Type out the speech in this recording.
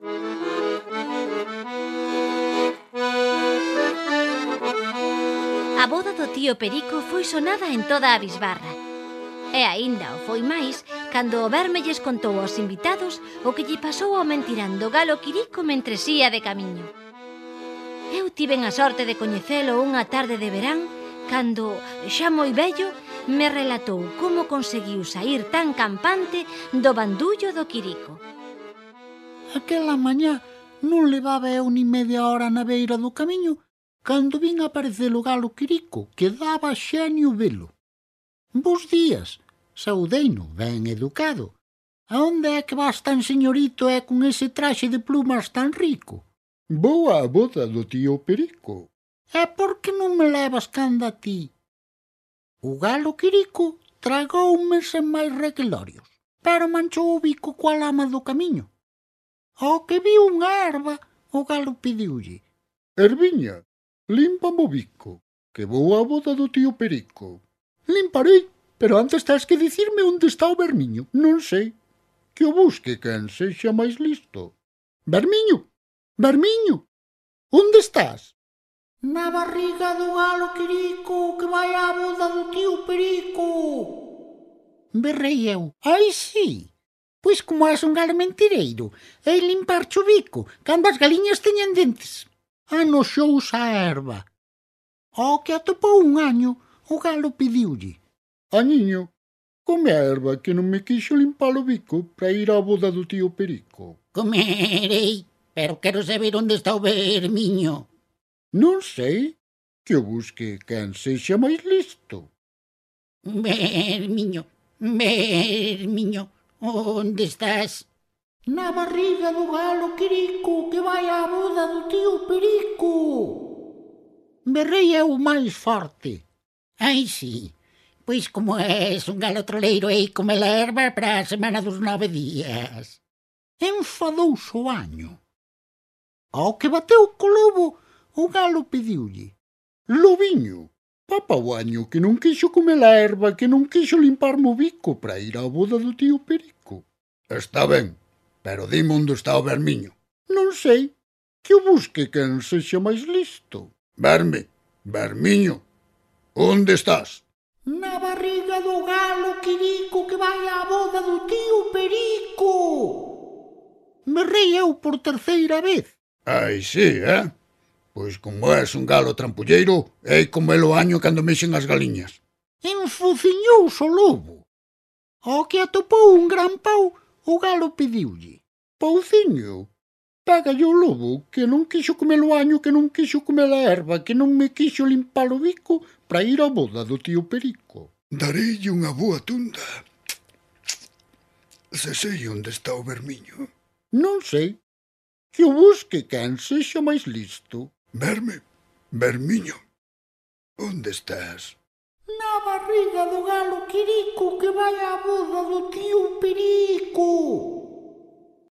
A boda do tío Perico foi sonada en toda a bisbarra. E aínda o foi máis cando o verme lles contou aos invitados o que lle pasou ao mentirando galo Quirico mentres ía de camiño. Eu tiven a sorte de coñecelo unha tarde de verán cando, xa moi vello, me relatou como conseguiu saír tan campante do bandullo do Quirico. Aquela mañá non levaba eu ni media hora na beira do camiño cando vin aparecer o galo Quirico, que daba xenio velo. Bos días, saudeino, ben educado. A onde é que vas tan señorito e con ese traxe de plumas tan rico? Vou á boda do tío Perico. E por que non me levas canda a ti? O galo Quirico tragoume sen máis requelorios, pero manchou o bico coa lama do camiño. Ao que viu unha erva, o galo pediulle: Erviña, límpame o bico, que vou á boda do tío Perico. Limparei, pero antes tens que dicirme onde está o vermiño. Non sei. Que o busque quen sexa máis listo. Vermiño, vermiño, onde estás? Na barriga do galo Quirico, que vai á boda do tío Perico. Berrei eu: ai, sí, pois como és un galo mentireiro, e limpar-che o bico, cando as galiñas teñen dentes. Anoxouse a erva. Ao que atopou un año, o galo pediulle: Añiño, come a erva que non me quixo limpar o bico para ir á boda do tío Perico. Comerei, pero quero saber onde está o vermiño. Non sei. Que o busque quen sexa máis listo. Vermiño, vermiño, onde estás? Na barriga do galo Quirico, que vai á boda do tío Perico. Berrei eu máis forte: ai, sí, pois como és un galo troleiro, hei comer erva para a semana dos 9 días. Enfadouse o año. Ao que bateu co lobo, o galo pediulle: Lobiño, papa o año que non quixo comer a erva, que non quixo limparme o bico para ir á boda do tío Perico. Está ben, pero dime onde está o vermiño. Non sei. Que o busque quen sexa máis listo. Vermiño, onde estás? Na barriga do galo Quirico, que vai á boda do tío Perico. Berrei eu por terceira vez. Ai, sí, Pois como és un galo trampulleiro, hei comelo año cando mexen as galiñas. Enfociñouse o lobo. Ao que atopou un gran pau, o galo pediulle: Pauciño, pégalle o lobo, que non quixo comer o año, que non quixo comer a erva, que non me quixo limpar o bico para ir á boda do tío Perico. Dareille unha boa tunda. Se sei onde está o vermiño. Non sei. Que o busque quen sexa máis listo. Vermiño, onde estás? Na barriga do galo Quirico, que vai á boda do tío Perico.